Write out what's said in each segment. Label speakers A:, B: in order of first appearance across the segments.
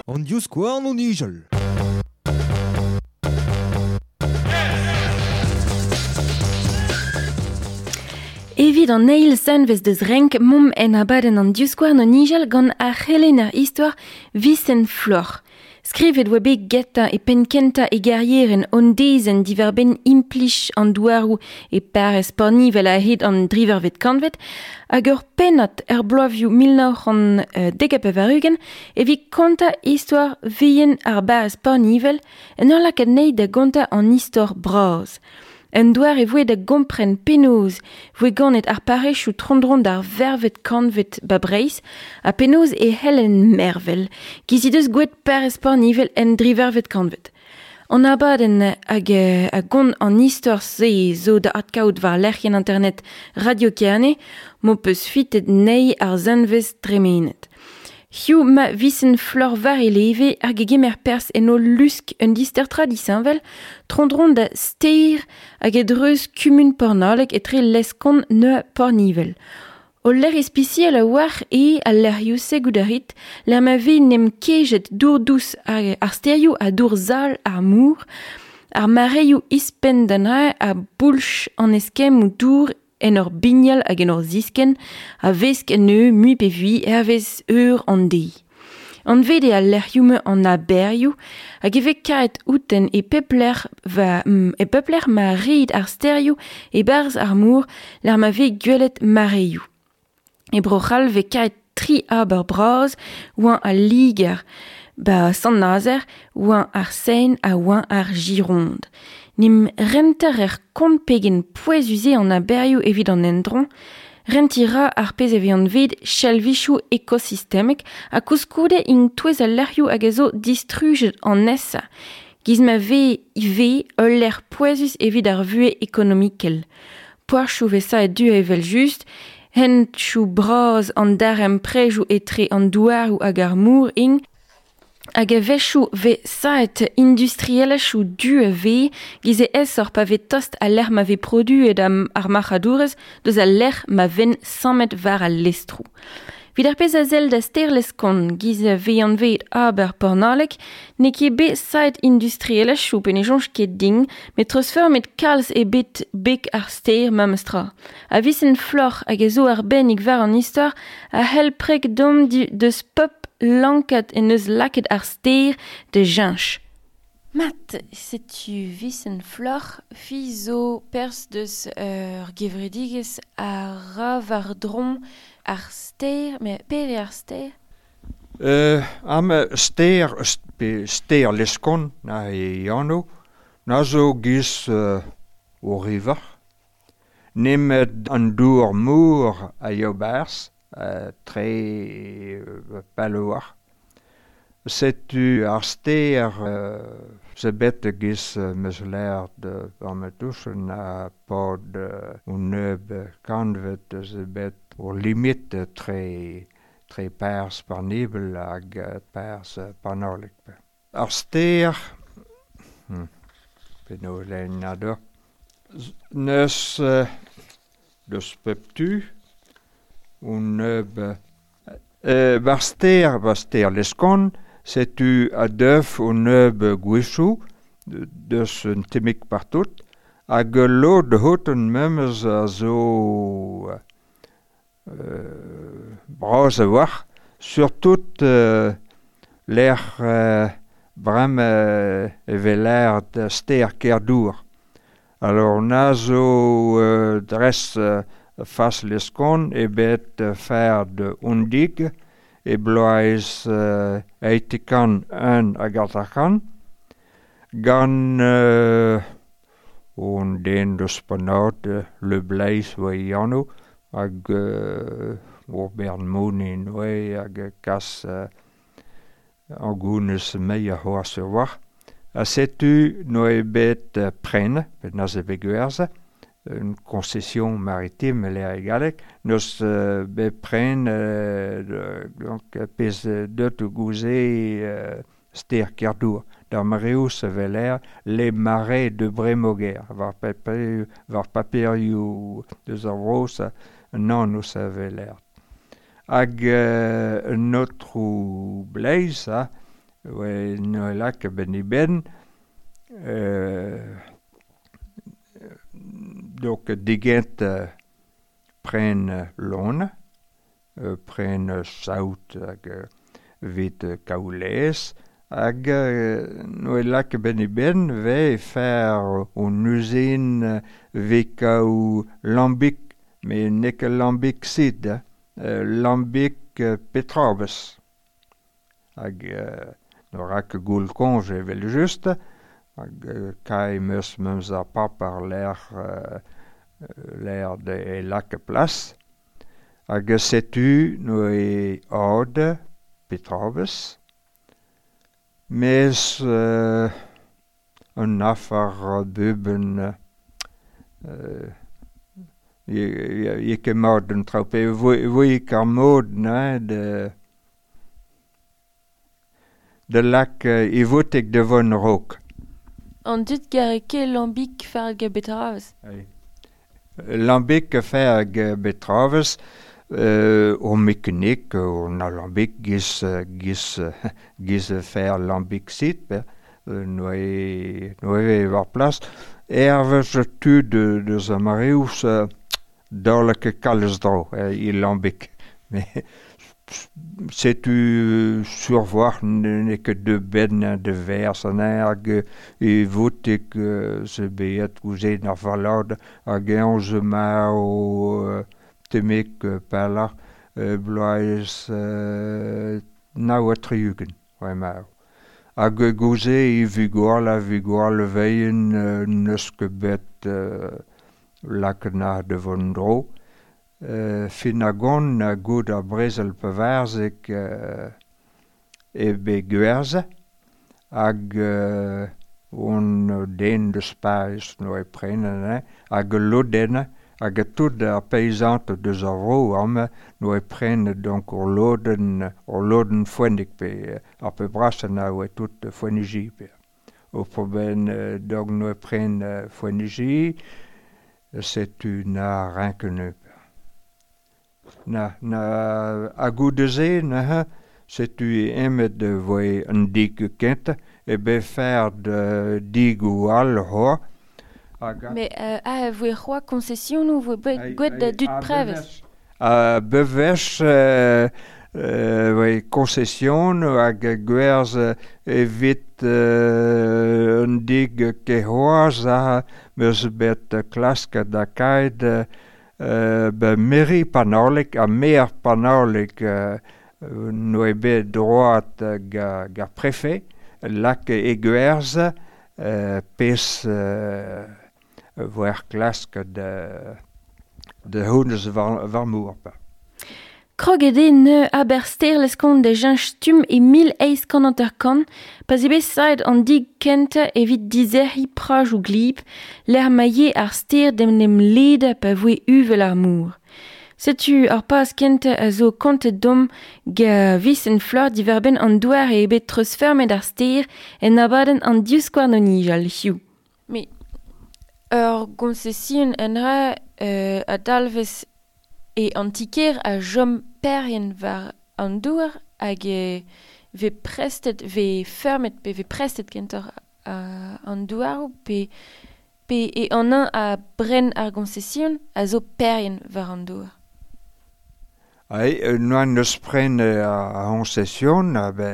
A: An divskouarn o nijal.
B: Evit an eil zanvez deus renk momp en abadenn an divskouarn o nijal gant ar c'helenner istor Vincent Floc'h. Skrivet oa bet getañ e penn-kentañ e garierenn hon dezenn diwar-benn implij an douaroù e parrez Pornivel a-hed an drivervet kantved hag ur pennad er bloavezhioù 1990 evit kontañ istor vihan ar barrez Pornivel en ur lakaat anezhi da gontañ an istor bras. Un doare e voe da gompren penaos voe ganet ar parrezioù tro-dro d'ar vervet kantved ba Breizh ha penaos e c'hellent mervel, giz he deus gwelet parrez Pornivel en drivervet kantved. An abadenn hag a gont an istor-se zo da adkaout war lec'hienn internet Radio Kerne m'ho peus fitet anezhi ar zanvez tremenet. Hiziv ma Vincent Floc'h war e leve hag e gemer perzh en o lusk un dister tra disheñvel, tro-dro da stêr hag e-dreuz kumun Pornaleg etre Leskon ha Pornivel. Ul lec'h ispisial a-walc'h eo al lec'hioù-se goût a rit, lec'h ma vez 'n em kejet dour dous ar stêrioù ha dour sal ar mor, ar mareoù ouzhpenn da neuze a boulch an eskemmoù dour en ur bignal hag en ur ziskenn a vesk anezho mui pe vui hervez eur an deiz. Anvet eo al lec'hioù-mañ an aberioù hag e vez karet outen e pep lec'h e pep lec'h ma red ar stêrioù e-barzh ar mor lec'h ma vez gwelet mareoù. E Bro-C'hall vez karet tri aber bras oa al Liger, ba Sant-Nazer, oa ar Seine ha oa ar Gironde. N'em renter er kont pegen pouezus eo an aberioù evit an endro, rentiñ ra ar pezh e vez anvet chalvichoù ekosistemek ha koulskoude int touez al lec'hioù hag a zo distrujet an nesañ, giz ma vez ivez ul lec'h pouezus evit ar vuhez ekonomikel. Poazhioù 'vez savet du evel-just, hentoù bras an darempredoù etre an douaroù hag ar mor int, hag a-wechoù 'vez savet industrielezhioù du a-vez giz eo aesoc'h pa vez tost al lec'h ma vez produet ar marc'hadourezh deus al lec'h ma vent sammet war al lestroù. Evit ar pezh a sell da stêr Leskon, giz a vez anvet aber Pornaleg, n'eo ket bet savet industrielezhioù pe ne soñj ket din, met treuzfeurmet kalz eo bet beg ar stêr memes tra. Ha Vincent Floc'h hag a zo arbennik war an istor a c'hell preg deomp deus pep lankad en deus lakaet ar stêr da cheñch. Mat, setu Vincent Floc'h, fi zo perzh deus ur gevredigezh a ra war-dro ar stêr, met pere ar stêr?
C: Amañ stêr pe stêr Leskon na e anv, na zo giz o river, nemet an dour mor a ya 'barzh tre pell a-walc'h. Setu ar stêr zo bet e-giz 'm eus lâret war ma touchenn a-pad un nebeud kantved zo bet ur limit etre tre parrez Pornibel hag parrez Pornaleg. Ar stêr, penaos lennañ deoc'h, n'eus deus pep tu un nebeud war stêr, war stêr Leskon, setu a-deuf un nebeud gwechoù deus un tammig partout hag ul lod c'houten memes a zo bras a-walc'h, surtout lec'h bremañ e vez lâret stêr Kerdour. Alors na zo dres fas Leskon eo bet fard un dig e bloaz eitekant un hag hanter-kant gant un den deus Pennaod, Le Bleiz oa e anv, hag ur bern monin oa hag kas ar gounez meilh c'hoazh a-walc'h. Ha setu n'oa bet prenet, bet neuze bet gwerzhet, une concession maritime e e galleg, n'eus bet prenet donc pezh deut gouze stêr Kerdour. D'ar mareoù se weler les marais de Brémoguer, war paperioù deus ar vro an anv se weler. Hag un autre bleiz, ha, oe noe lak ben i ben, donc digent pren lon, pren saout hag vit kaoulez, hag noe lak ben i ben ve fer un usine ve kaou lambik, me nek lambik sid, lambik petrabes. Hag no rak goul konj evel just, hag kai meus meus ar papar l'air l'air de e lak plas. Hag setu no e od petrabes. Mes un afar buben ye ket mat un traoù pe voe kar mod na de lak e votek de von rok.
B: An dud gare ket lambik fer hag betravez?
C: Lambik fer hag betravez o mekanik o na lambik giz giz giz fer lambik sit pe noe war plas. Ervez tud deus a mareouz daol ket kalz dro i lambik. Mais setu survoar n'eo ket de ben de vers an hag e votek se beet gouzen ar valad hag eñ ze ma o temek pelar bloaz nao a triugen, oe ma. Hag gouze e vigor la vigor leveien neus ket bet lakna de von dro. Fin a gont a gout ar brezel pevarzek e be gwerze hag on den deus Paris no e prenen hag loden hag tout ar paysant deus ar vro am no e prenen donc ur loden foennik pe ar pe brasen a oe tout foennigi pe. O proben donc no e pren foennigi setu na rinkene. Na a goudeze na setu emet de voe un dig kent e be fer de dig ou al ho.
B: Mais a voe c'hoa concession ou voe gwet da dud prevez?
C: A bevech voe concession hag gwerz evit un dig kehoaz a meus bet klask da kaid be meri panorlik ha mer panorlik no e bet droat ga prefet lak e gwerz pez voer klask de hounez war mour.
B: Kroget eo ne aber ster leskont da jench stum e 1850 pa ze bet saet an dig kentañ evit dizerc'hiñ praj ou glib, l'er maie ar ster d'em nem leda pa voe uvel ar mour. Setu ar paz kentañ a zo kontet dom ga vis en fleur diverben an douar e bet treuzfermet ar ster en abadenn an divskouarn o nijal hiziv. Me ur gonsesion en ra a dalvez e antiker a jom perien war an douar hag ve prestet, ve fermet, pe ve prestet kentoc'h an douaroù pe e an un a bren ar gonsesion a zo perien war an douar.
C: Ai, noan neus pren a gonsesion a be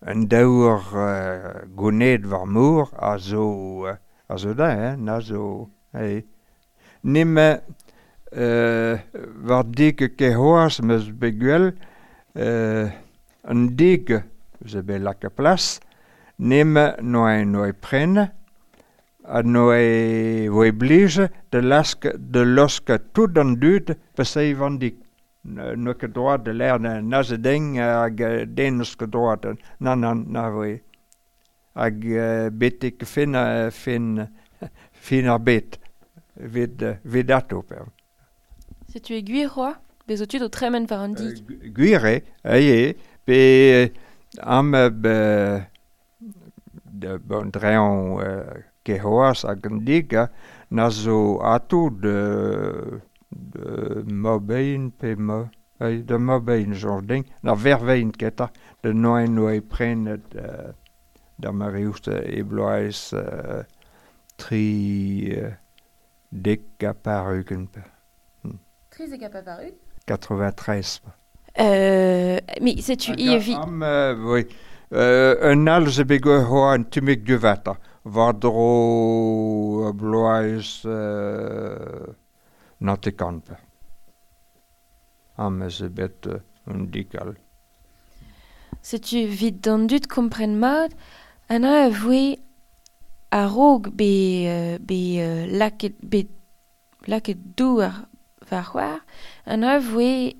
C: un daour goned war mour a zo da, hein, na zo, ai. Neme war dig kehoaz meus bet gwell un dig ze bet lak a plas, neme noe pren ha noe voe blij de lask de losk tout an dud pe seiv an dig. Noe ket droad de l'air na ze ding hag den eus ket droad na na na voe. Hag betek fin fin ar bet. Vid ato per.
B: Setu e gwir c'hoa? Bez o tud o tremen war an dig?
C: Gwir eo, eo, pe am be de bon dreon kehoaz hag an dig na zo ato de Mabein pe ma da mabein jordin na vervein keta de noen oe prenet da mariuste e bloaz tri dek a par-ugent.
B: 13 a par-ugent?
C: 93.
B: Mais setu i evi...
C: Oui. Un all ze bet hoa an tumik duvata. War dro bloaz natekant. Am ze bet un dikal.
B: Setu vid d'an dud kompren mat, an a voe a-raok be laket, be laket douar war c'hoar, an a voe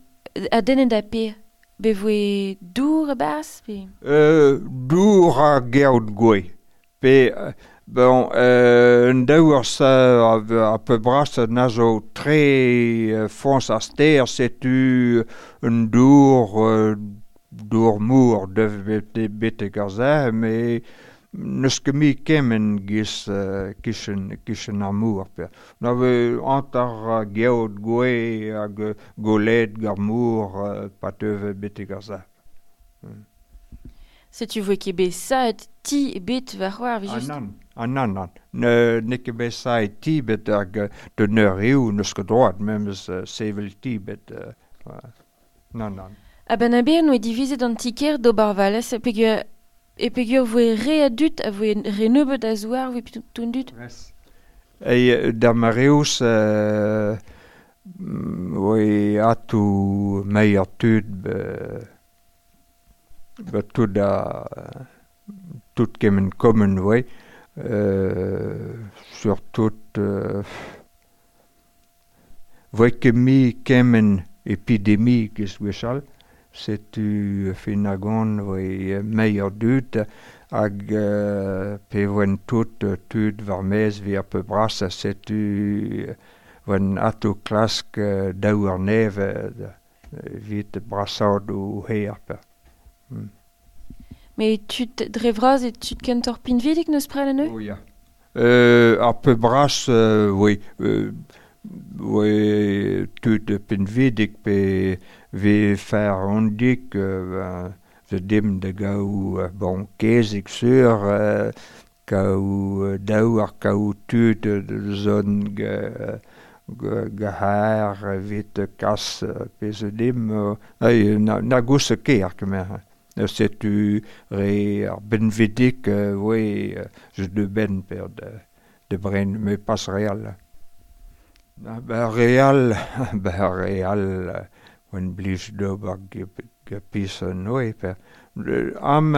B: a denet da pe be voe dour a bas pe?
C: Dour a geout gwe. Pe, bon, un daour sa a peu bras na zo tre fons a ster, setu un dour dour mour dev betek ar ze, mais neus ket mi kemen giz kichen ar mour. Pe. Na ve antar geout gwe hag golet gar mour pa teuve betek ar ze.
B: Setu voe ket bet saet ti bet war c'hoar just?
C: Ah nan, nan. Ne ket bet saet ti bet hag de neur eo neus ket droad memes sevel ti bet. Nan, nan.
B: A ben a bet noe divizet an tiker d'ober valez peogwir e peogwir voe re a dud a voe re nebeut a zouar voe tout dud.
C: E da mareus voe atou meier tud be tout a tout kemen kommen voe surtout voe ket mi kemen epidemi giz gwechall. Setu finagon voe meier dud hag pe voen tout tud war mez vi ar peu bras setu voen ato klask daou ar neve vit brasad o her pe.
B: Mais tud dre vras e tud kentor pinvidik neus pren an
C: Oh ya. Ar peu bras oui oui tud pinvidik pe ve fer ondik ve dim de gaou bon kezik sur kaou daou ar kaou tud de zon ge har vit kas pe ze dim na gousse ker kemer. Setu re ar benvidik oui je de ben per de bren me pas real. Ba real ba real oan blij d'ober gepis noe per. Am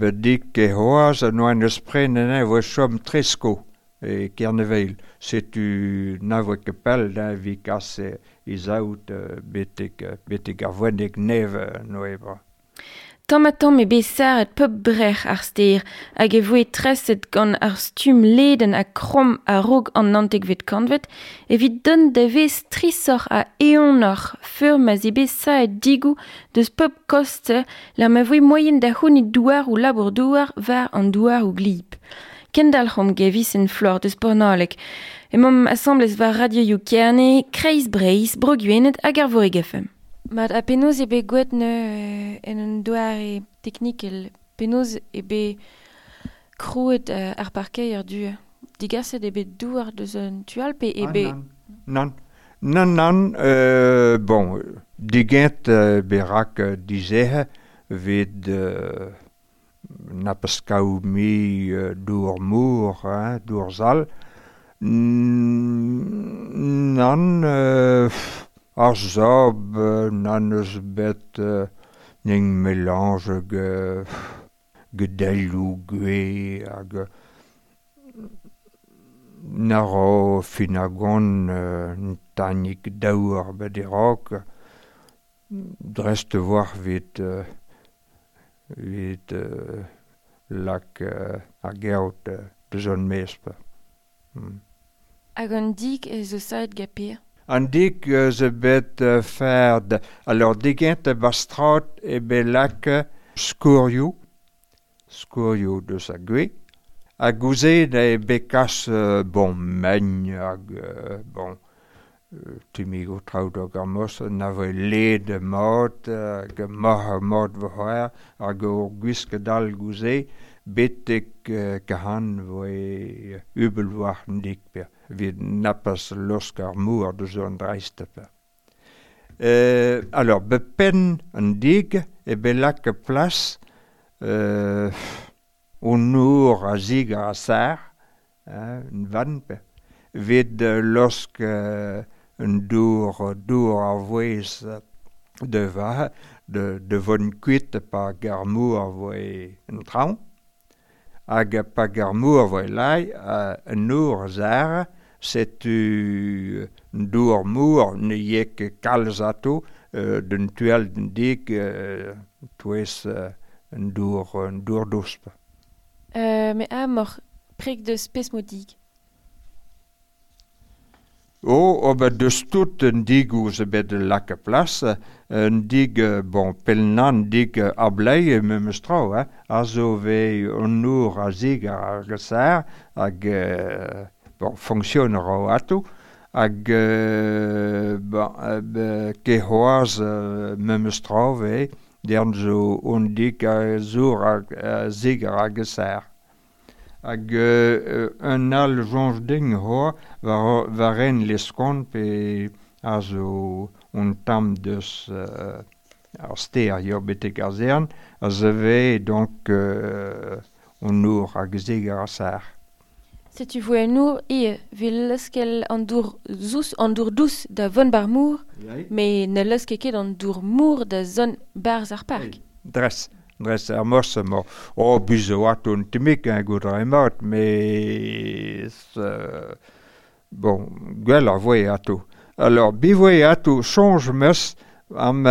C: bedik e hoaz noan eus prenen e voe chom tresko e Kerneveil. Setu na voe ket pell da vi kas izaout betek ar voenek neve noe bra.
B: Tamm ha tamm e bet sarret pep brec'h ar ster hag e voe treset gant ar stumm leden ha kromm a-raok an naontekvet kantved evit dont da vez strisoc'h ha eeunoc'h feur ma 'z eo bet saet digoù deus pep koste la ma voe moaien da c'hounit douaroù labour-douar war an douaroù glib. Kendalc'homp gevis en flor deus Pornalek. Emaomp asambles war radioioù Kerne, Kreiz Breizh, Bro-Gwened hag ar Vorig FM. Mat a penaos eo bet gwelet en un doare teknikel, penaos eo bet krouet ar parkeier du digaset eo bet douar deus un tu all pe eo bet...
C: Nan, nan, nan, bon, digent berak dizehe vid na peus kaou mi dour mour, hein, dour zal. Nan, ar zob nan eus bet ning melange gedelloù gwe hag na ro finagon un tanik daour bet e-raok drest war vit lak ar geout deus an mesp.
B: Hag an dik ez eus saet gaper?
C: An dik ze bet ferd. Alors digent bastrat e bet lak skourioù deus a gwe. Hag gouze e bet kas bon megn hag bon Timigo traoù d'ar mos na voe led mat hag mar mat vo c'hoar hag ur gwisket all gouze betek kahan voe ubel war an dik per evit napas losk ar mour deus an dreist per. Alors, bepen an dig e belak plas un nour a zig a sar, un van per, vid losk un dour ar voez de va, de von kuit pa gar mour voe un traon, hag pa gar mour voe lai, un nour zar, setu un dour mour ne yek kalz ato, d'un tuel d'un dik, touez un dour dosp.
B: Me a mor prek deus pes mo dig.
C: Oh, ben deus tout un dig ouz bet lak plas, un dig, bon, pelnan dig ablei memes trao, hein, a zo ve un nour a zig ar gesar, hag, bon, fonctionne ro ato, hag, bon, ke c'hoaz memes trao ve, dern zo un dig a zour a zig ar gesar. Hag un all jonj ding hoa war en leskon pe a zo un tam deus ar ster yo betek ar zern a zeve donc un our hag zig ar sar.
B: Setu voe un our e vil leuskel an dour zous an dour dous da von bar mour, me ne leuske ket an dour mour da zon barz ar park.
C: Dres. Dres ar mos mo o bizo at un timik un gout ar mat, mais bon, gwell ar voe ato. Alors, bi voe ato change meus am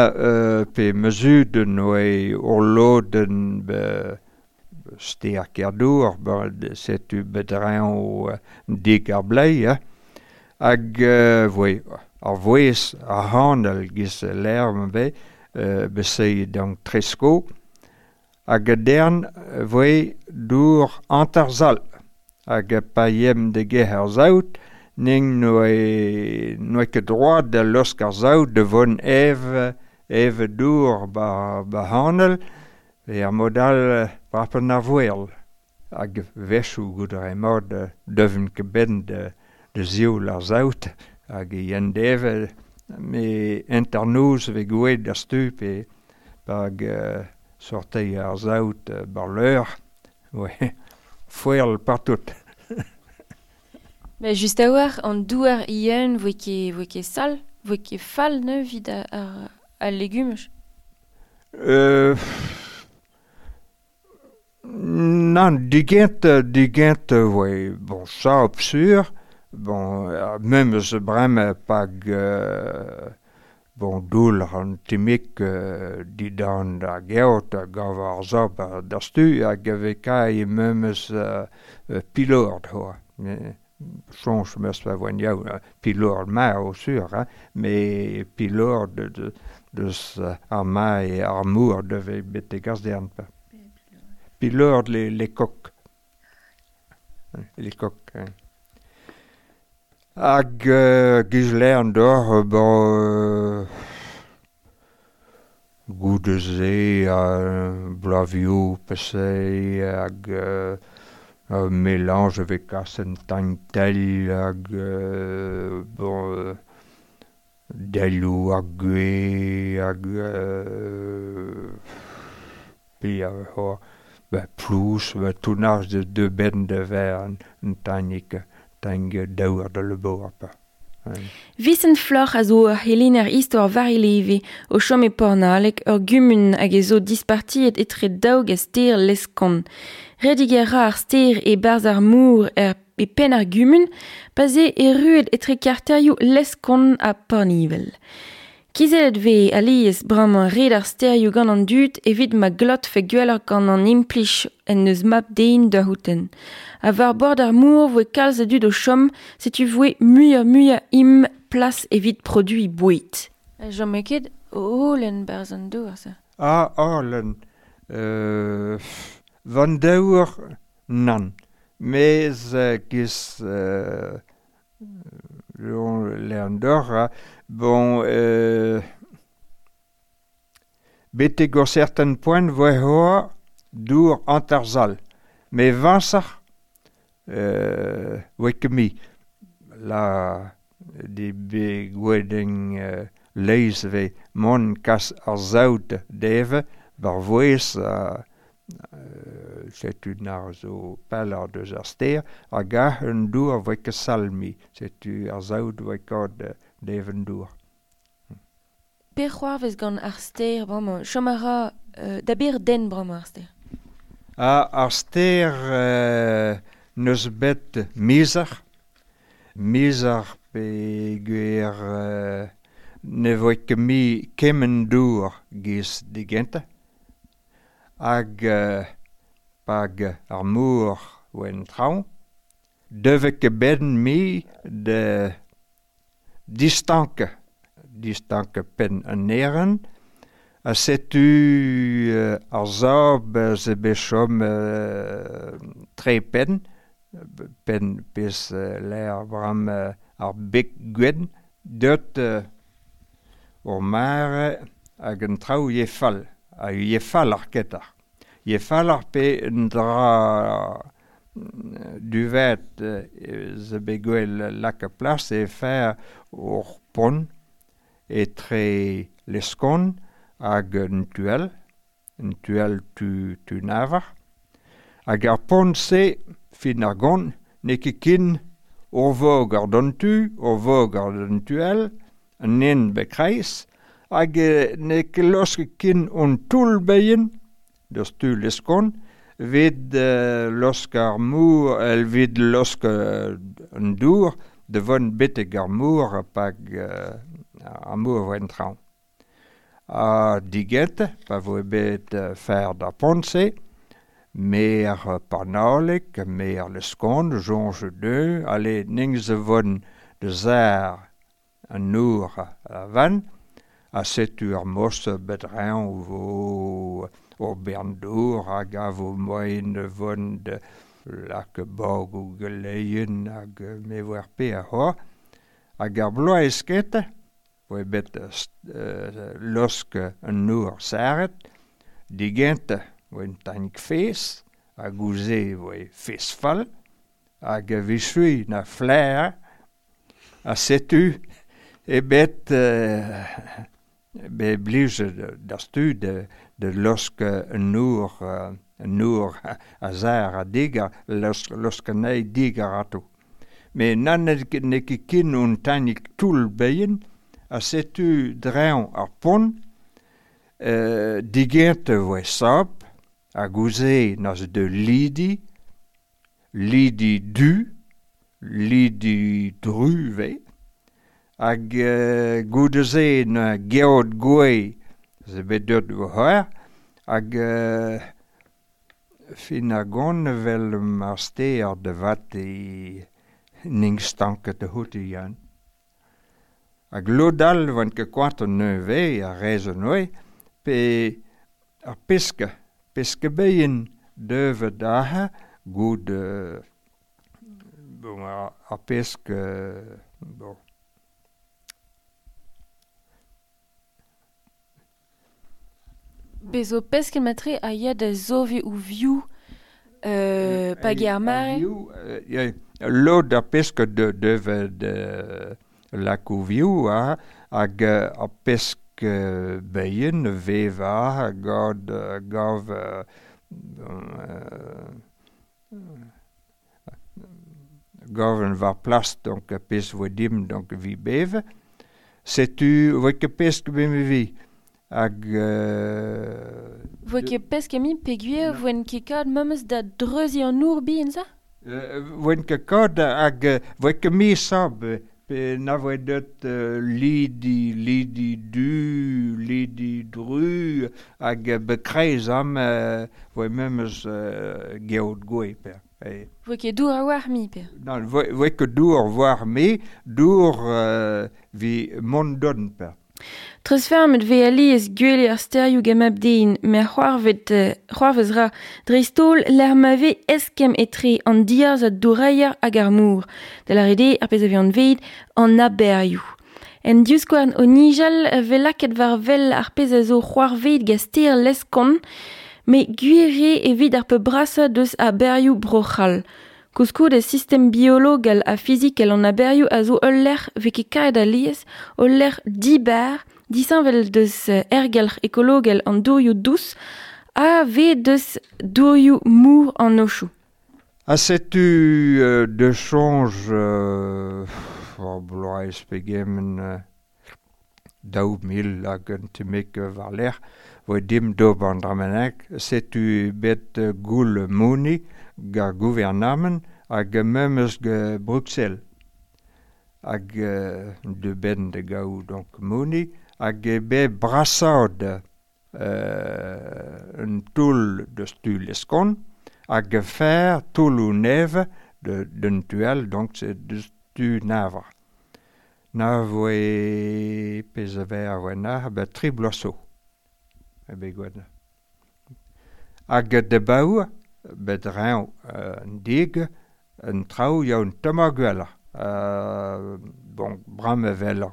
C: pe mesuden oe urloden be ster kerdour, setu bedreñ o dik ar blei, hein. Hag voe ar voez ar hanel giz l'air be besei donc tresko, hag dern voe dour antarzal hag pa yem de ge ar zaout ning noe ket droit da losk ar zaout de von eve dour ba hanel e ar modal brapen ar voel hag vechou gout ar emod deven ket ben de zioul ar zaout hag yen deve me enternoz ve gouet da stup e hag sortei ar zaout bar leur, ouais, foel partout.
B: Mais just a war, an douar ien voe ket sal, voe ket fall ne vid ar legumaj.
C: Nan, digent, voe, bon, ça obsur, bon, memes brem pag bon, doul an timik didan da geot gav ar zob da stu hag ave kai memes pilord hoa. Change meus pa voen yaou, pilord ma o sur, hein, mais pilord deus ar ma e ar mour deve betek ar zern pa. Pilord les coq. Les coq, hein. Hag gizlern d'or, bon, goudeze, blavioù, pese, hag mélange avec asen tagntel, hag, bon, delou hag gwe, hag, pi a ho, ben, plous, ben, tounaj de ben de ver un tagnik. Tang daour da le boar pa.
B: Vincent Floc'h a zo ur helener istor war eleve o chom e Pornalek ur gumun hag e zo dispartiet etre daoug a ster leskon. Redig ar ar ster e barz ar mour e pen ar gumun, pa ze e ruet etre karterioù Leskon ha Pornivel. Kizelet ve alies bremañ red ar sterioù gant an dud evit ma glot fe gwelloc'h gant an implij en eus map dein da houten. A war bord ar mour voe kalz a dud o chom, setu voe muioc'h im plas evit produi boued. Jom eo ket holen barz an dour, sa.
C: Ah, holen. Van daour, nan. Mez giz Leandor, bon, betek ur certain point voe hoa dour antarzal. Me vansar, voe ket mi. La di be gwedeng leiz ve mon kas ar zaout deve, bar voez setu nar zo peller deus ar ster, hag a un dour voe ket salmi, setu ar zaout voe ket deven dour.
B: Per c'hoarvez gant ar ster bremañ, chom a ra da ber den bremañ ar ster?
C: Ar ster neus bet mizer, mizer pe gwer ne voe ket mi kement dour giz digentañ. Hag pag ar mor oen traoñ, deve ket ben mi de distanke, distanke pen an eren, a setu ar zab ze bet chom tre pen, pen pez l'air bram ar bek gwen, deut ur mare hag an traoù ye fall. A ye fall ar ketar. Ye fall ar pe un dra duvet ze bet gwell lak a plas e fer ur pont etre leskon hag un tuel tu navar. Hag ar pont-se, fin ar gont, n'eo ket kin ur vog ar d'an tu, ur vog ar d'an tuel, an en bekreiz, hag n'eo ket losk kin on toull beien, deus tu leskon, vid losk ar mour, el vid losk an dour, de von betek ar mour pag ar mour voen traoñ. A diget, pa voe bet fer da pont-se, mer Parnalek, mer Leskon, jonge deux, ale ning ze von de zar an nour a van, a setu ar mos bet reñ vo ur bern dour hag a vo moen von de lak bog ou geleien hag me vo ar pe a ho. Hag ar bloaz ket, voe bet losk an nour saret, digent voe un tanik fez, hag ouze voe fez fall, hag a vichui na flair, a setu e bet be blij d'ar stu de losk un nour a zar a digar, losk anezhi digar ato. Me nan n'eo ket kin un tanik toull beien, a setu dreñv ar pont, digent voe sab, hag ouze naz de lidi, lidi du, lidi dru ve, hag goude-se na geot gwe ze bet deut vo c'hoar, hag fin a gont vel ar ster de vat e ning stanket de houte yann. Hag lod all vant ket koant an neuve a rezo noe, pe ar peske, peske beien deuve daha goud bon, ar peske bon.
B: Bez zo pesket matre a ya da zove ou viou pag ar mare?
C: Lod ar pesk deuve de lak ou viou hag ar pesk beien veva hag gav gav war plas donc pes vo dim donc vi beve. Setu voe ket pesk be me vi. Hag
B: Voe ket pesk emi peogwir voen ket kad memes da dreuziñ an our bihan sa?
C: Voen ket kad hag voe ket mi sab pe na voe deut lidi, lidi du, lidi dru hag bekreiz am voe memes geot gwe per.
B: Voe ket dour a war mi per?
C: Non, voe ket dour war mi, dour vi mont don per.
B: Treuzfeurmet vez alies gwele ar stêrioù gant mab-den, met c'hoarvez ra dreist-holl lec'h ma vez eskemm etre an diarzh doureier hag ar mor, da lâret eo ar pezh a vez anvet an aberioù. En divskouarn o nijal vez lakaet war wel ar pezh a zo c'hoarvezet gant stêr Leskon, met gwir eo evit ar pep brasañ deus aberioù Bro-C'hall. Koulskoude sistem biologel ha fizikel an aberioù a zo ul lec'h vez ket kaet alies, ul lec'h dibar, disheñvel deus aergelc'h ekologel an dourioù dous ha vez deus dourioù mor an aochoù.
C: Ha setu de soñj bloaz pegement 2000 hag un tammig war-lerc'h voe dimp d'ober an dra-bennak, setu bet goul moni gant gouarnamant hag memes gant Bruxelles. Hag de ben de gaou donc moni hag eo bet brasaat un toull deus tu Leskon hag fer toulloù nevez d'un tual donc c'est deus tu Navar. Na voe pezh a vez a voe na bet tri bloaz zo. E bet gwenn. Hag de baour bet reñv an dig un traoù ya un tamm ar gwelloc'h. Bon, bram evel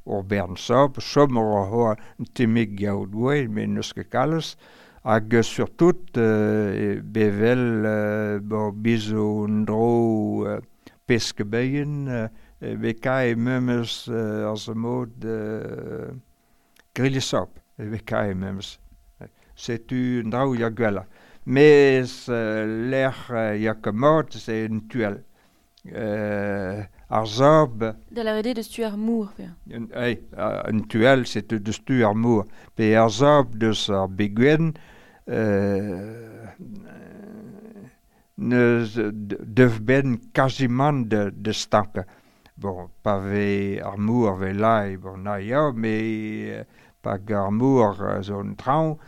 C: ur bern sab, chom ur c'hoar un tammig gaout gwell, met n'eus ket kalz. Hag surtout bevel bo bizo un dro pesk beien, be kae memes ar zo mod grillesab, be kae memes. Setu un draoù ya gwelloc'h. Mes lec'h ya ket mat, c'est un tual. Ar sab...
B: Da lâret eo deus tu ar mor, pe?
C: Un tual, c'est deus tu ar mor. Pe ar sab deus ar begwenn, neus dev ben quasiment de stank. Bon, pa vez ar mor vez lai, bon, na ya, mais pa ar mor zo un traoñ,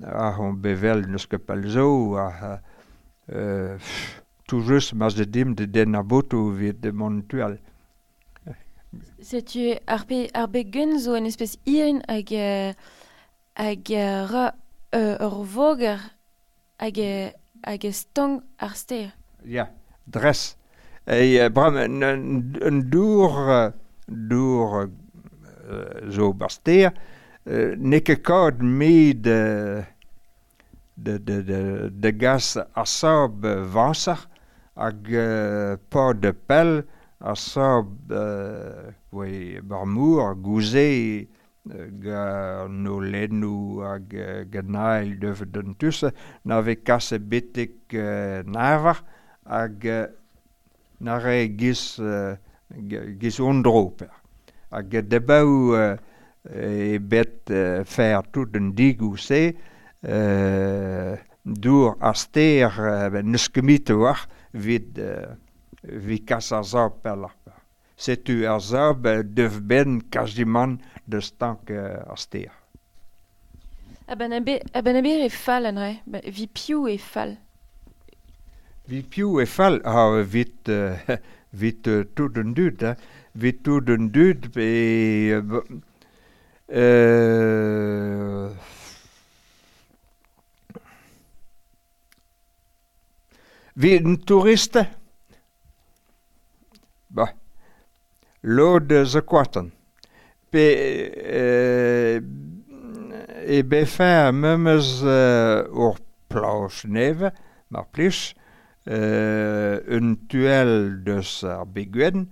C: ah, on bevel n'eus ket pell zo, ah, tout just ma ze dim de den ar botoù evit de mont tual.
B: Setu ar begwenn zo un espèce irin hag ra ur voger hag stank ar stêr.
C: Ya, dres. E bram un dour zo bar stêr, n'eo ket kaout me de gas ar sab vañser hag pa de pell ar sab bar mor gouze gant o lennoù hag gant devet d'un tusse na vez kaset betek Navar hag na re giz ondro per. Hag debaou e bet fer tout un digou se dour ar stêr n'eus ket mit war evit kas ar sab pelloc'h. Setu ar sab dev ben quasiment de stank ar stêr.
B: A-benn aber e fall an re, vi piv e fall.
C: Vi piv e fall, ha vit tout an dud, hein. Vit tout an dud pe Vit un touriste? Bah, lod zo koatan. Pe e befe memes ur plaj neve, mar plij, un tuel deus ar begwenn,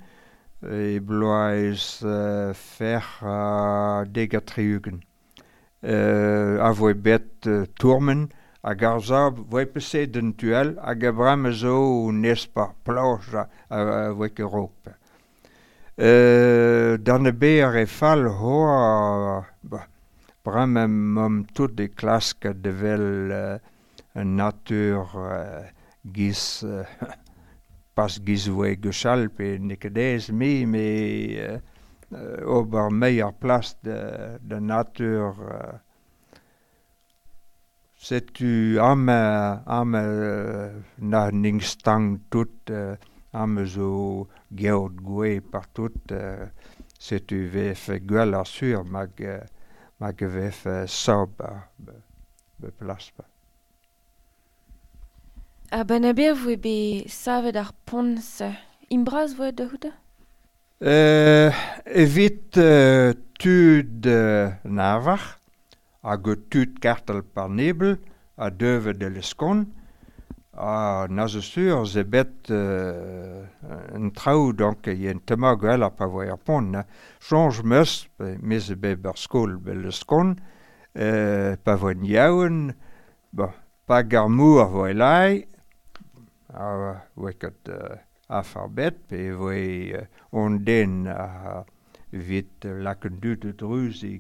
C: e bloaz fer a deg ha tri-ugent. A voe bet tourmen hag ar sab voe peset un tuel hag a brem zo nes par plaj a voe ket raok. D'an e ber e fall hoa brem mom tout e klask de vel un natur giz pas giz voe gwechall pe n'eo ket aes me met ober meier plas de natur setu am na ning stang tout am zo geot gwe partout Setu vefe gwell ar sur mag vefe saob be plas.
B: A ben a ber voe be savet ar pont imbraz voe da houta?
C: Evit tud navar hag tud kartel par nebel a deuve de leskon a na zo sur ze bet un traoù donc y en tema gwell ar pa voe ar pont. Change meus, me ze bet bar skol be leskon, pa voe yaoun, bon, pa gar mour voe lai, a voe ket afar bet, pe voe on den a vit laken dud druz e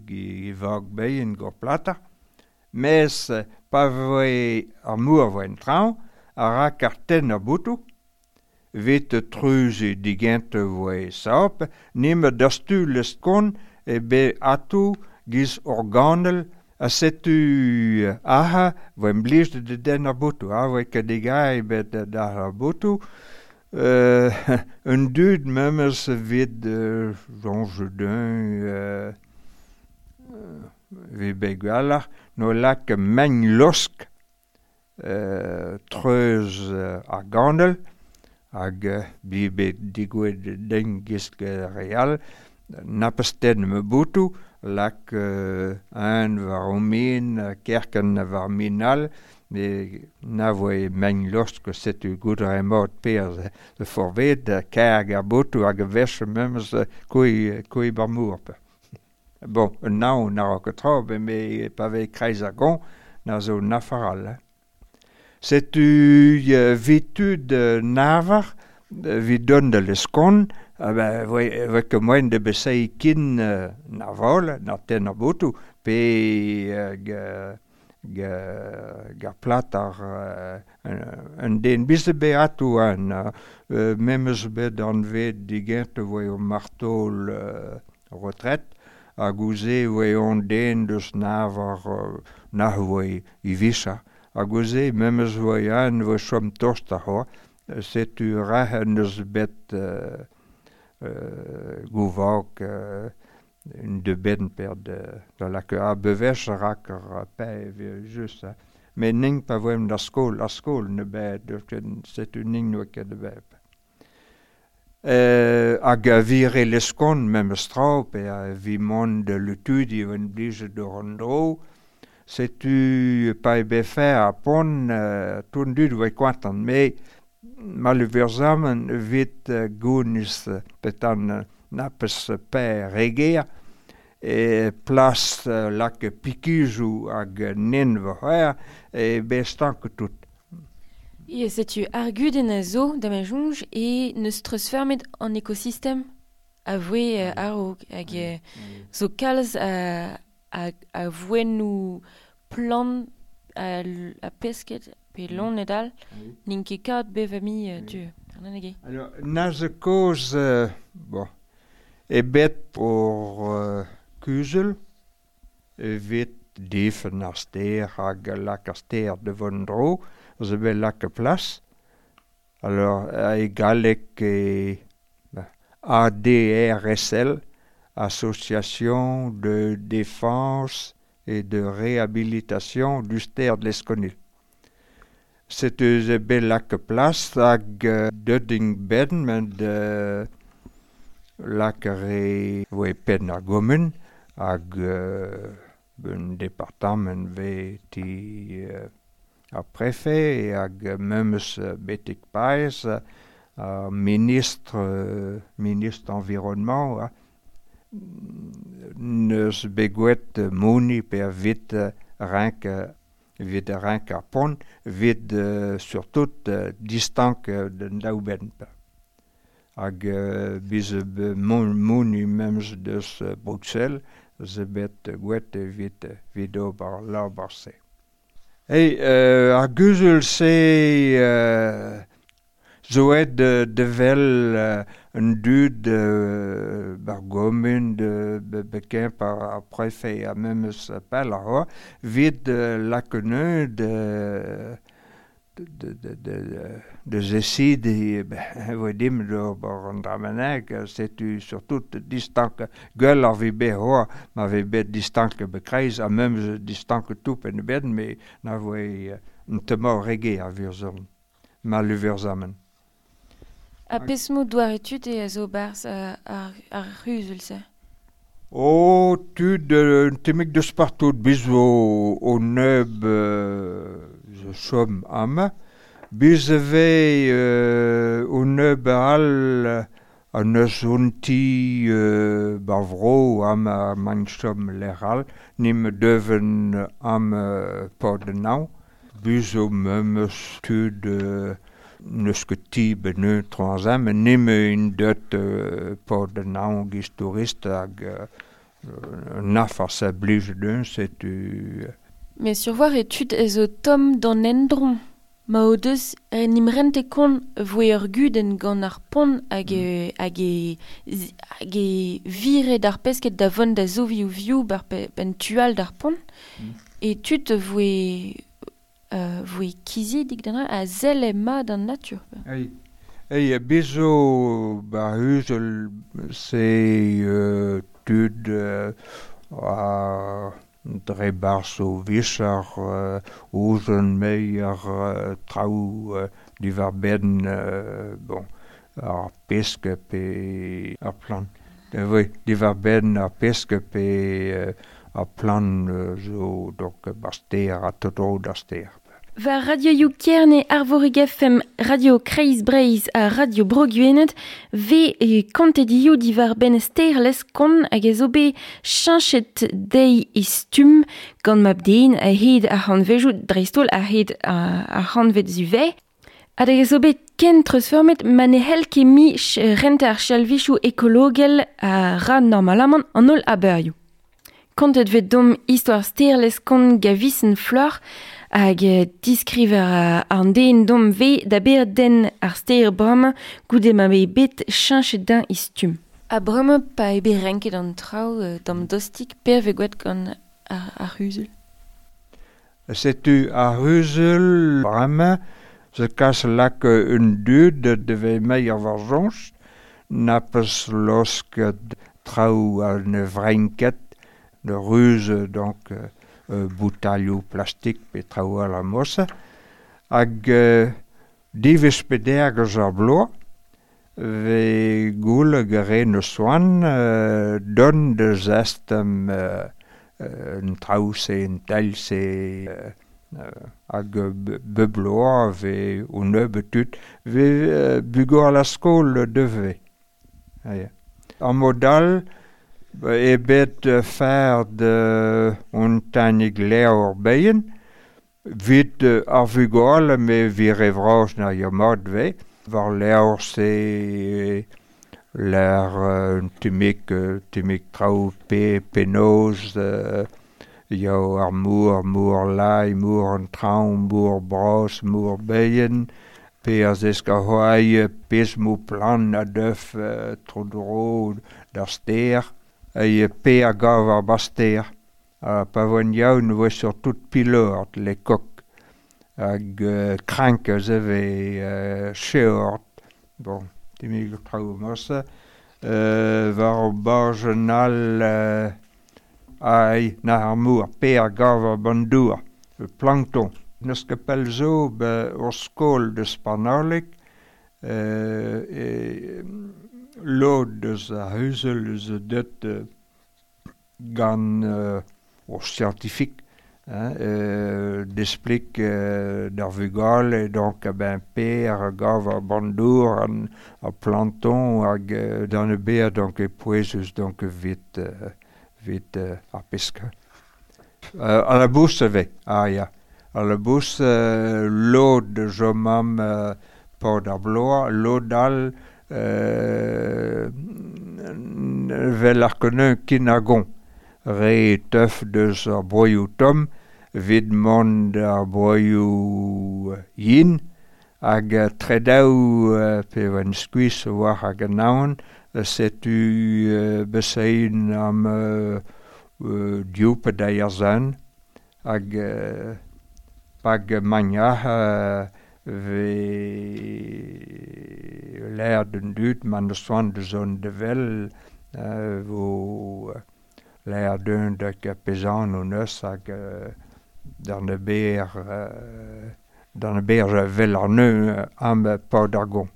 C: vag beien gor plata. Mes pa voe ar mour voe en traoñ, a ra karten ar boutou, vit truz e digent voe saop, nime dastu leskon e be atou giz organel a setu aha voe blij de den ar boutou, a voe ket degai bet da ar boutou. Un dud memes vid Jean Jedun vi begwallar no lak megn losk treuz ar gandel hag bi bet digouet den gisk real napesten me boutou lak un war o min kerken war min all me na voe megn losk setu gout a emot per de forved karg ar boutou hag vech memes koui bar mour. Bon, un naon na ket tra, me pa ve kreiz ar gon, na zo nafaral. Setu vitud navar, vid don de leskon, voe ket moen de besei kin naval, na ten ar boutou, pe gar plat ar un den bize be atou an, memes bet an vet digent voe o martol retret, hag ouze voe on den deus navar na voe i visa. Hag ouze memes voe an voe chom tost a c'hoa, setu rahen eus bet gouvag un de ben per de lak a bevech rak ar pe just. Me ning pa voem da skol, ar skol ne bet, setu ning no ket de beb. Hag a vire leskon memes tra, pe a vi mont de lutudi ven blije d'ur an dro, setu pa e befe a pont ton dud voe koantan, me maluverzamen vit gounis petan napes pe reger, e plas lak pikijou hag nen vo c'hwer, e be stank tout.
B: E setu ar gudenn a zo da ma jonj e neus treuzfermet an ekosistem a voe a-raok hag zo kalz a voennoù plant a pesket pe loened all n'int ket kat bevami tu.
C: Alors, na zo koz bon, e bet ur kuzel evit difen ar ster hag lak ar ster de von dro, zo bet lak plas. Alors, e galleg e ADRSL, Association de défense et de réhabilitation du ster de Lesconil. Setu ze bet lak plas hag deuding ben men de lak re voe pen ar gomun hag un departement ve ti ar prefet hag memes betek paez ar ministre environnement neus begouet moni pe vit renk vit renk ar pont vit surtout distank den daouben. Hag biz moni memes deus Bruxelles ze bet gouet evit vit ober labar se. Hey, ar guzul se zo ed de vel un dud bar gomun de beken par ar prefet a memes pel ar vit lakeneu de De zesidi voe dim d'ober an dra-bennak, setu surtout distank gwell ar vi bet hoa, ma ve bet distank bekreiz, ha memes distank toup en beden, me na voe un temor rege a vurzorn, ma luvurzamen.
B: A pesmo doare tud e a zo barz ar c'huzul-se?
C: O, tud, un temik deus partout, biz o neub zo chom amañ. Biz e vez o neub all an eus un ti bar vro am mañ chom lec'h all, nim deven am pod naou. Biz o memes tud neus ket ti ben un troazan, met nim un deut pod naou giz tourist hag naf ar sa blij d'un, setu...
B: Mais survoir e tud ez o tom d'an endron. Ma o deus en im rente kont voe ur gudenn gant ar pont hag hag e vire d'ar pesket da vont da zovi ou viou bar ben tual d'ar pont. E tud voe voe kizidik d'an a zelle mat an natur.
C: Ei, ei bezo bar huzel se tud a dre barz o vichar ouzon meier traoù diwar ben bon, ar pesk pe ar plant. Oui, diwar ben ar pesk pe ar plant zo donc bar ster a totro d'ar ster.
B: War Radio You Kerne Arvorig FM, Radio Kreiz Breiz ha Radio Bro Gwened, ve e kontet io diwar ben ster leskon hag a zo bet cheñchet dezhi e stumm gant mab den a hed ar c'hantvejou dreist-holl a hed ar c'hantved zuve. Hag a zo bet ken treuzfeurmet ma ne c'hell ket mi renta ar chalvichoù ekologel a ra normalamant an holl aberioù. Kontet vet dom istor ster leskon gavisen flor hag diskriver an den dom ve da ber den ar ster bramañ goude ma ve bet cheñchet din e stumm. A bramañ pa eo bet renket an traoù d'am dostik per ve gwet gant ar c'huzul.
C: Setu ar c'huzul bramañ ze kas lak un dud de ve meier war soñj, na peus losket traoù a ne vrenket de ruz donc boutalioù plastik pe traoù all a mosse hag divez peder eus ar bloaz ve goul gere ne soan don de zestem un traoù se un tel se hag bebloa ve o neube tud ve bugor la skol deve. Ar modal e bet fer de un tanig levr beien, vit ar vugale me vire vras na ya mat ve, war levr se l'air un timik traoù pe penoz yao ar mour, mour lai, mour an traoñ, mour bras, mour beien, pe a zesk a hoai pez mou plan a deuf tro dro d'ar ster, e pe a gav ar baster. Pa voen yaoun voe surtout pilord le kok hag krank eus eve cheord. Bon, timig traoù mosse. War o bajen all ai na ar mour, pe a gav ar bandour, plankton. Neus ket pell zo be ur skol deus Spanarlik, e lod deus ar huzel eus deut gant ur scientifique, hein, d'explique d'ar vugale, donc ben per a gav ar bandour an ar planton hag d'an e ber donc e pouezus donc vit vit ar pesk. A la bous ve, ah ya. A la bous lod zo mam pod ar bloa, lod all vel ar keneun kin a gon. Re teuf deus ar broioù tom, vid mont ar broioù yin, hag tredaou pe oan skuizh war hag an aon, setu besein am diou pe deir zan, hag pag magnah ve l'air d'un dud man de soan de zon de vel vo l'air d'un de pezan o neus hag d'an e ber d'an e ber vel ar neu am pa d'ar gon.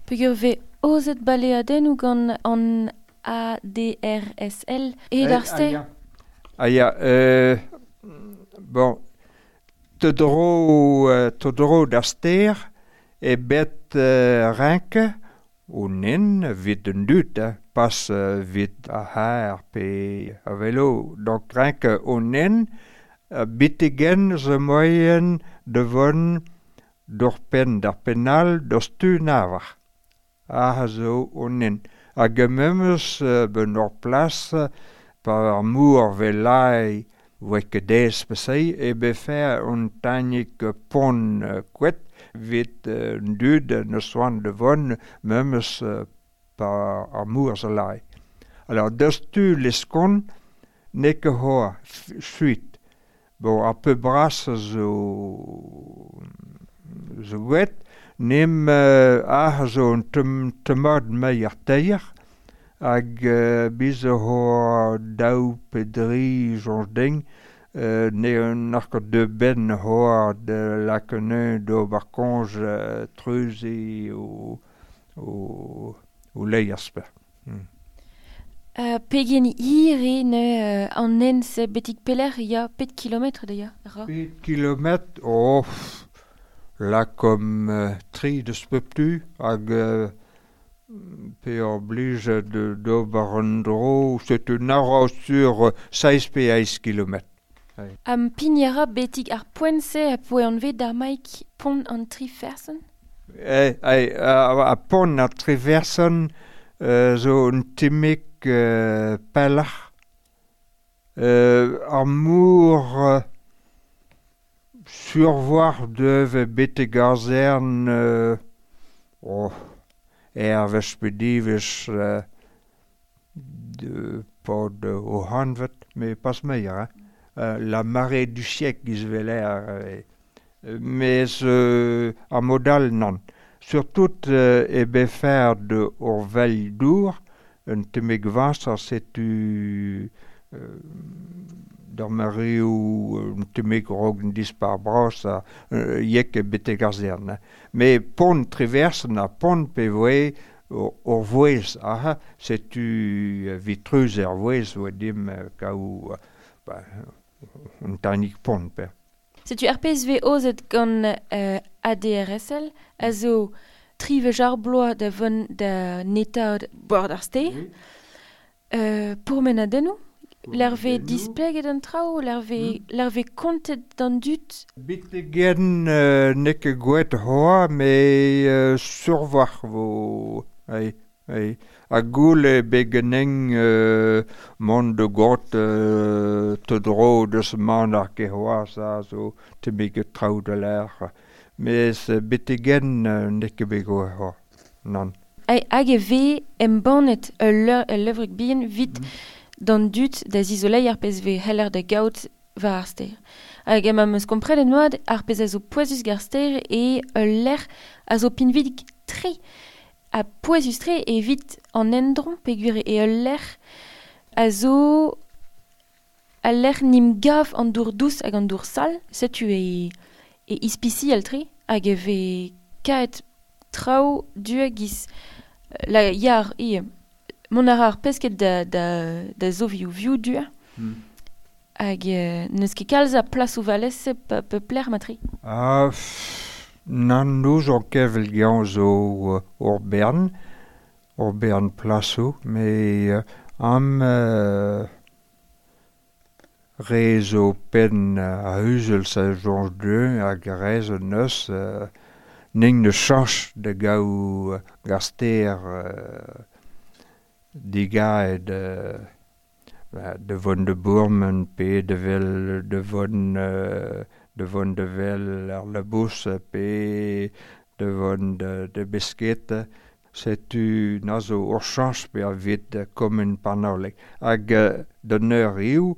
B: Peogwir vez ozet baleadennoù gant an ADRSL e d'ar ster?
C: Ah ya, bon, te dro d'ar ster e bet renke o nen vit un dud, pas vit a haar pe a velo. Donc renke o nen bitegen zo moyen de von d'ur pen d'ar penal d'ur stu navar. Ah zo o nen. Hag memes ben ur plas par ar mour velai voe ket dez pesei e befer un tanik pont kouet vit un dud ne soan de von memes par ar mour zo lai. Alors deus tu leskon ne ket hoa suit. Bon, ar peu bras zo gwet, nem ah zo un temad mei ar teir, hag biz ho daou pe dri jonj ding, ne un ar de ben hoa de lakeneun do bar konj treuzi o leiaspe.
B: Pegen hir eo ne an hent-se betek pelec'h ya pet kilometr da ya?
C: Pet kilometr, oh, la kom tri deus pep tu, hag pe ur blij d'ober un dro, setu nara sur 16 pe 8 kilometr.
B: Am pignara betek ar poent-se a poe anvet d'ar maik pont an tri ferson?
C: A pont an tri ferson zo un timik pellach. Ar mour survoar deuve betek ar zern er vech pe divech de pod o hanvet, mais pas meilleur, hein. La marée du siècle giz veler, mais ar modal nan. Surtout e befer de ur veil dour, un temeg vañs setu d'ar mareo un temeg rog un dispar bras a yek e betek ar zern. Mais pont treversen a pont pe voe ur vouez, aha, setu vitreuz er vouez oa dim kaou un tanik pont pe.
B: Setu ar pezh vez ozet gant ADRSL a zo tri vech ar bloaz da vont da netaat bord ar ster. Pourmenadennoù? L'er vez displeget an traoù, l'er vez kontet d'an dud?
C: Betegen n'eo ket gwet hoa, me survoar vo. Ei, ei. A goul e begeneng mont de got te dro deus man ar ket hoa sa zo te beget traoù de l'air. Mes betegen n'eo ket bet gwet hoa, nan.
B: Hag e vez embannet ul levrig bihan vit d'an dud da zizolei ar pezh vez heller da gaout war ar ster. Hag em eus komprenet mat ar pezh a zo pouezus gar ster e ul lec'h a zo pinvidik tre ha pouezus tre evit an endron peogwir e ul lec'h a zo al lec'h nim gav an dour dous hag an dour sal, setu e ispisial tre hag e vez kaet traoù du giz la yar e mont a ra ar pesket da zovioù vioù du hag n'eus ket kalz a plas o valez pe plec'h matre.
C: Ah, nan noz ur kevel gañ zo ur bern plasoù, me am re zo pen a huzel sa Georges II hag rez neus ning ne chanch de gaou gaster digaet de von de Bourmen pe de vel de von de vel ar labous pe de von de besket setu na zo ur chanch pe a vet kommen panolek hag d'an eur iou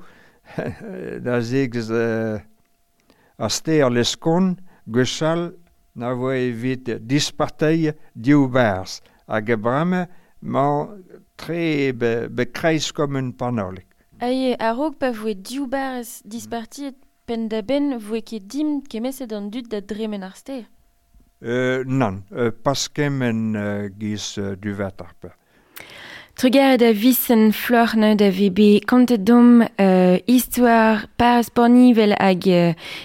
C: da zegz a ster leskon gwechall na voe evit disparteiñ div barz hag bremañ 'mañ tre be kreiz komun Panolig.
B: Ae, a-raok pa voe div barrez dispartiet penn-da-benn voe ket dimp kemmeset an dud da dremen ar stêr.
C: Nann, pas kement giz duvetoc'h pe.
B: Trugarez da Visent Floc'h neuze da ve bet kontet domp istor Parrez Pornivel hag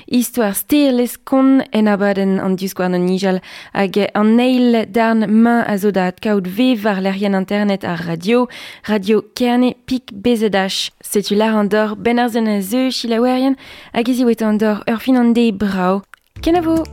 B: istor stêr Leskon en abadenn an divskouarn o nijal hag an eil darn mañ a zo da adkaout vev war lec'hienn internet ar radio, radio Kerne pik BZH. Setu lar an dor ben ar zen a zeu selaouerien hag ez eo an dor ur fin an deiz brav. Kenavo!